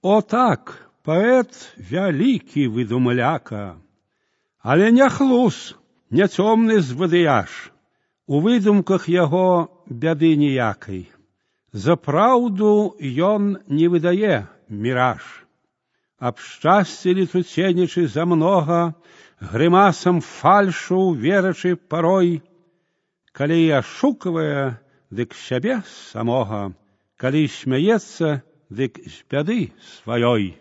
О так, паэт вялікі выдумляка, але не хлус, не цёмны звадыяж, у выдумках яго бяды ніякай. За праўду ён не выдае міраж. Аб шчасці летуценнічы замнога, грымасам фальшу верачы парой, калі і ашуквае, дык сябе самога, калі смяецца, дык з бяды сваёй.